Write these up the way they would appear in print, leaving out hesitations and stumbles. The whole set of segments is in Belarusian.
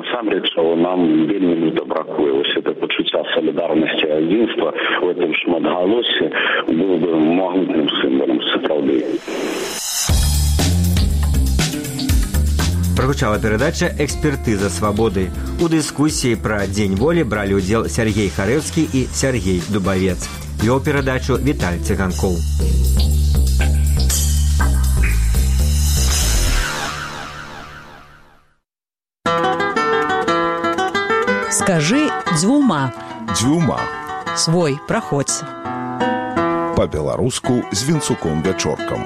насамрэч нам вельмі люта бракуе. Вось это пачуцця салідарнасці і адзінства у гэтым шматгалоссі было бы магутным сімвалам сапраўды. Прагучала перадача «Экспертыза свабоды». У дыскусіі пра Дзень волі бралі ўдзел Сергей Харэўскі і Сергей Дубавец. Вёў перадачу Віталь Цыганкоў. Скажи дзвюма. Дзвюма. Свой, праходзь. Па-беларуску з Вінцуком-Вячоркам.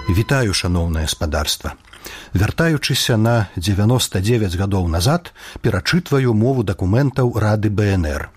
Вітаю, шаноўнае спадарства. Вяртаючыся на 99 гадоў назад, перачытваю мову дакументаў Рады БНР.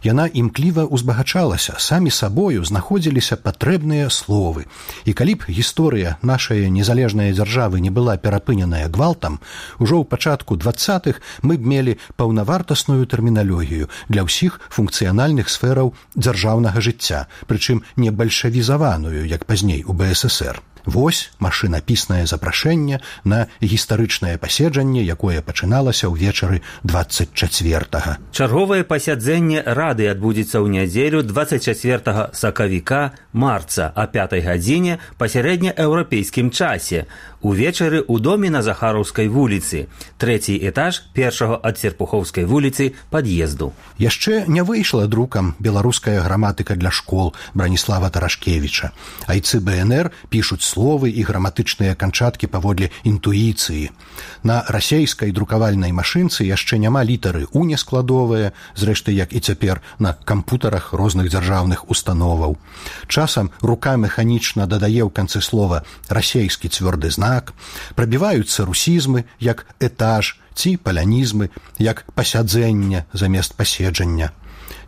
Яна імкліва узбагачалася, самі сабою знаходзіліся патрэбныя словы. І калі б гісторыя нашай незалежнай дзяржавы не была перапыненая гвалтам, ужо ў пачатку 20-х мы б мелі паўнавартасную тэрміналогію для ўсіх функцыянальных сфераў дзяржаўнага жыцця, прычым не бальшавізаваную, як пазней у БССР. Вось машынапіснае запрашэнне на гістарычнае паседжанне, якое пачыналася ўвечары 24-га. Чарговае пасяджэнне Рады адбудзецца ў нядзелю 24 сакавіка марца о 5 гадзіне па сярэднееўрапейскім часе. Увечары ў доме на Захараўскай вуліцы, 3-й этаж першага ад Серпухоўскай вуліцы пад'езду. Яшчэ не выйшла друкам беларуская граматыка для школ Браніслава Тарашкевіча. Айцы БНР пішуць словы і граматычныя канчаткі паводле інтуіцыі. На расейскай друкавальнай машынцы яшчэ няма літары «у» нескладовыя, зрэшты, як і цяпер на кампутарах розных дзяржаўных установаў. Часам рука механічна дадае ў канцы слова расейскі цвёрды знак, прабіваюцца русізмы, як этаж, ці палянізмы, як пасяджэнне замест паседжання.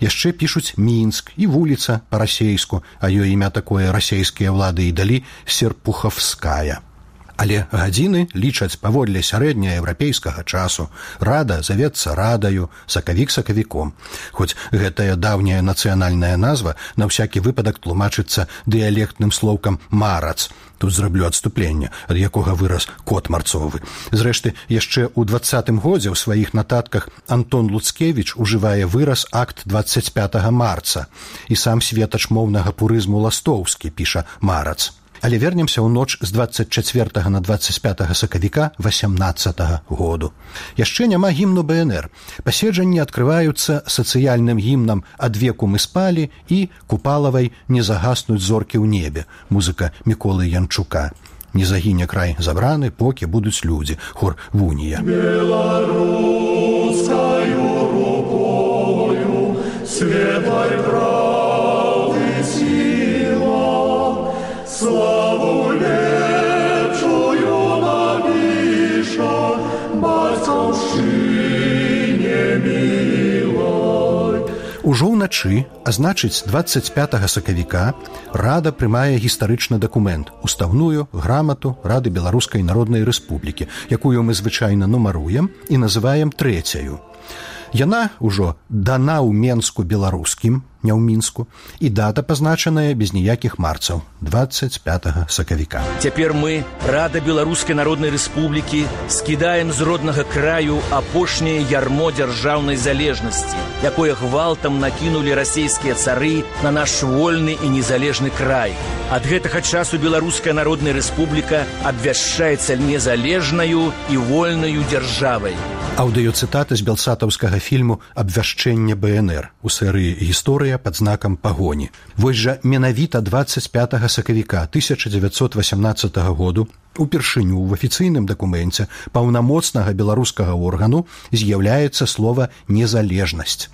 Яшчэ пішуць Мінск і вуліца па-расейску, а ёй імя такое расейскія ўлады і далі Серпуховская. Але гадзіны лічаць паводле сярэднееўрапейскага часу. Рада завецца радаю, сакавік сакавіком. Хоць гэтая даўняя нацыянальная назва на ўсякі выпадак тлумачыцца дыялектным слоўкам «марац». Тут зраблю адступленне, ад якога вырас кот марцовы. Зрэшты, яшчэ ў 20-м годзе ў сваіх нататках Антон Луцкевіч ужывае выраз акт 25 марца. І сам светач моўнага пурызму Ластоўскі піша «марац». Але вернемся ў ноч з 24 на 25 сакавіка 18 году. Яшчэ няма гімну БНР. Паседжанні адкрываюцца сацыяльным гімнам «Ад веку мы спалі» і Купалавай «Не загаснуць зоркі ў небе», музыка Міколы Янчука. «Не загіне край забраны, покі будуць людзі», хор Вунія. Беларускаю рукою светлай правды сила, славу лепшую напіша бацькаўшчыне мілай. Ужо ўначы, а значыць 25 сакавіка, Рада прымае гістарычны дакумент, устаўную грамату Рады Беларускай Народнай Рэспублікі, якую мы звычайна нумаруем і называем трэцяю. Яна ўжо дана ў Менску беларускім, не ў Мінску, і дата пазначаная без ніякіх марцаў, 25 сакавіка. Цяпер мы, Рада Беларускай Народнай Рэспублікі, скідаем з роднага краю апошняе ярмо дзяржаўнай залежнасці, якое гвалтам накінулі расейскія цары на наш вольны і незалежны край. Ад гэтага часу Беларуская Народная Рэспубліка абвяшчаецца незалежнаю і вольнаю дзяржавай. Аўдыёцытата з белсатаўскага фільму «Абвяшчэнне БНР» у серыі «Гісторыя пад знакам пагоні». Вось жа менавіта 25 сакавіка 1918 году упершыню ў афіцыйным дакуменце паўнамоцнага беларускага органу з'яўляецца слова «незалежнасць».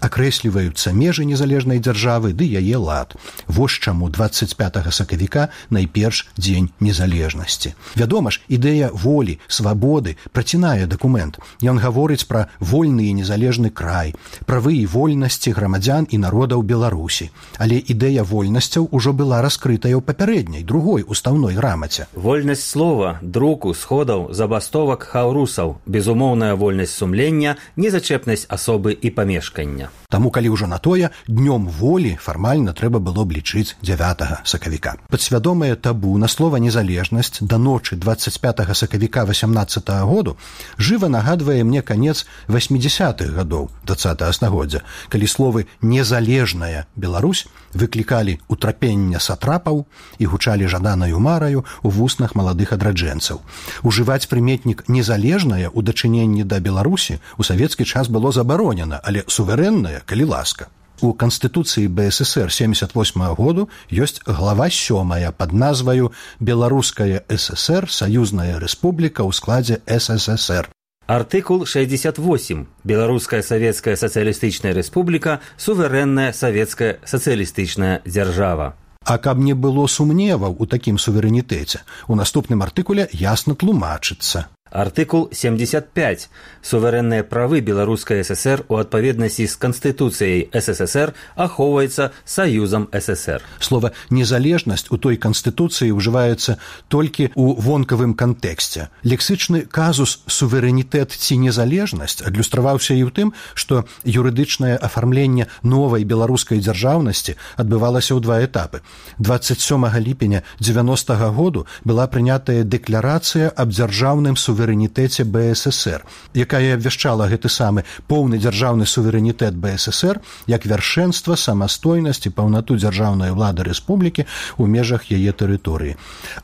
Акрэсліваюцца межы незалежнай дзяржавы ды яе лад. Вось чаму 25 сакавіка найперш дзень незалежнасці. Вядома ж, ідэя волі, свабоды працінае дакумент. Ён гаворыць пра вольны і незалежны край, правы і вольнасці грамадзян і народаў Беларусі. Але ідэя вольнасцяў ужо была раскрытая ў папярэдняй, другой устаўной грамаце. Вольнасць слова, друку, сходаў, забастовак, хаўрусаў, безумоўная вольнасць сумлення, незачэпнасць асобы і памешкання. жніўня. Таму, калі ўжо на тое, днём волі фармальна трэба было б лічыць 9 сакавіка. Падсвядомае табу на слова «незалежнасць» да ночы 25 сакавіка 18 году жыва нагадвае мне канец 80-х гадоў 20-го стагоддзя, калі словы «незалежная Беларусь» выклікалі утрапення сатрапаў і гучалі жаданаю мараю у вуснах маладых адраджэнцаў. Ужываць прыметнік «незалежная» у дачыненні да Беларусі у савецкі час было забаронена, але суверэнная, калі ласка. У Канстытуцыі БССР 78 году ёсць глава 7 пад назваю «Беларуская ССР, саюзная рэспубліка ў складзе СССР». Артыкул 68. Беларуская савецкая сацыялістычная рэспубліка, суверэнная савецкая сацыялістычная дзяржава. А каб не было сумневаў у такім суверэнітэце, у наступным артыкуле ясна тлумачыцца. Артыкул 75. Суверэнныя правы Беларускай ССР у адпаведнасці з Канстытуцыяй СССР ахоўваецца Саюзам ССР. Слова «незалежнасць» у той Канстытуцыі ўжываецца толькі ў вонкавым кантэксце. Лексычны казус «суверэнітэт» ці «незалежнасць» адлюстраваўся і ў тым, што юрыдычнае афармленне новай беларускай дзяржаўнасці адбывалася ў два этапы. 27 ліпеня 90-го году была прынятая дэкларацыя аб дзяржаўным суверэнітэце БССР, якая абвяшчала гэты самы поўны дзяржаўны суверэнітэт БССР як вяршэнства, самастойнасць і паўнату дзяржаўнай улады рэспублікі ў межах яе тэрыторыі.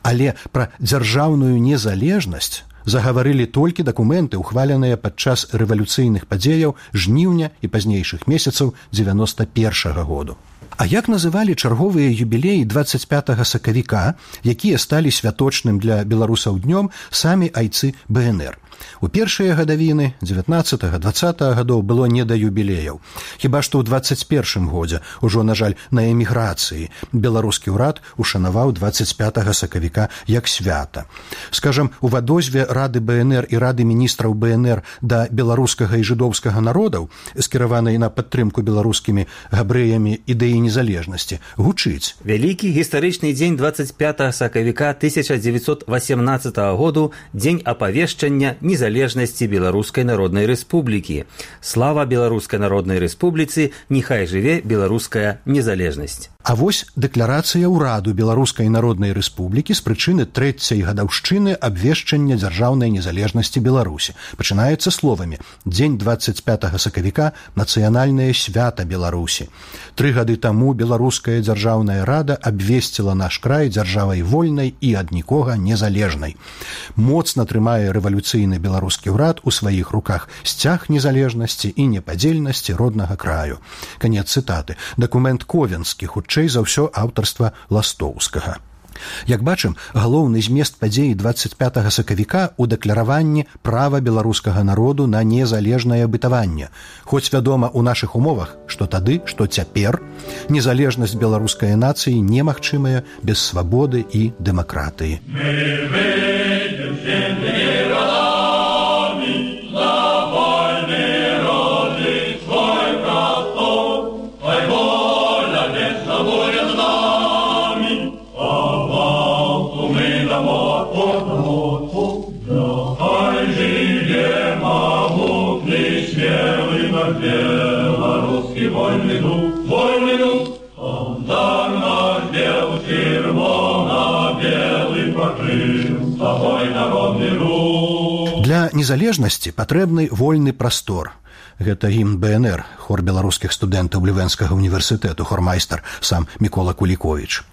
Але пра дзяржаўную незалежнасць загаварылі толькі дакументы, ухваленыя падчас рэвалюцыйных падзеяў жніўня і пазнейшых месяцаў 91-го году. А як называлі чарговыя юбілеі 25 сакавіка, якія сталі святочным для беларусаў днём самі айцы БНР? У першыя гадавіны 19-20 гадоў было не да юбілеяў. Хіба што ў 21 годзе, ужо, на жаль, на эміграцыі, беларускі ўрад ушанаваў 25 сакавіка як свята. Скажам, у вадозве Рады БНР і Рады міністраў БНР да беларускага і жыдоўскага народаў, скіраванай на падтрымку беларускімі габрэямі ідэі незалежнасці, гучыць. Вялікі гістарычны дзень 25 сакавіка 1918 году, дзень апавешчання незалежнасці Беларускай Народнай Рэспублікі. Слава Беларускай Народнай Рэспубліцы, няхай жыве беларуская незалежнасць. А вось дэкларацыя ўраду Беларускай Народнай Рэспублікі з прычыны 3-й гадаўшчыны абвешчання дзяржаўнай незалежнасці Беларусі. Пачынаецца словамі «Дзень 25 сакавіка – нацыянальнае свята Беларусі». 3 гады таму Беларуская дзяржаўная рада абвесціла наш край дзяржавай вольнай і ад нікога незалежнай. Моцна трымае рэвалюцыйны беларускі ўрад у сваіх руках сцяг незалежнасці і непадзельнасці роднага краю. Канец цытаты. Дакумент ковенскі, хутчэй за ўсё аўтарства Ластоўскага. Як бачым, галоўны змест падзеі 25 сакавіка ў дэклараванні права беларускага народу на незалежнае бытаванне. Хоць вядома ў нашых умовах, што тады, што цяпер, незалежнасць беларускай нацыі немагчымая без свабоды і дэмакратыі. Белорусский вольный дух, он дар наш бел, червоно-белый покрыл, собой народный рух. Для незалежнасці патрэбны вольны прастор. Гэта гімн БНР, хор беларускіх студэнтаў Лівенскага універсітэту, хормайстар сам Мікола Куліковіч.